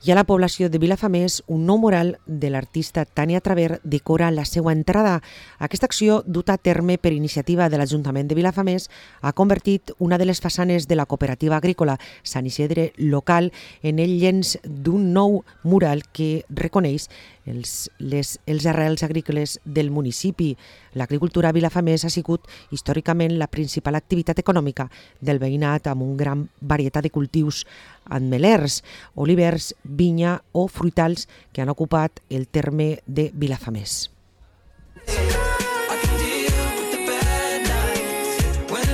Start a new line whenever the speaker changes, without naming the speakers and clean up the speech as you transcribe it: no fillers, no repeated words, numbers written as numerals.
I a la població de Vilafamés, un nou mural de l'artista Tània Traver decora la seva entrada. Aquesta acció, duta a terme per iniciativa de l'Ajuntament de Vilafamés, ha convertit una de les façanes de la cooperativa agrícola Sant Isidre local en el llenç d'un nou mural que reconeix els arrels agrícoles del municipi. L'agricultura a Vilafamés ha sigut històricament la principal activitat econòmica del veïnat, amb una gran varietat de cultius ametllers, olivers, vinya o fruitals que han ocupat el terme de Vilafamés.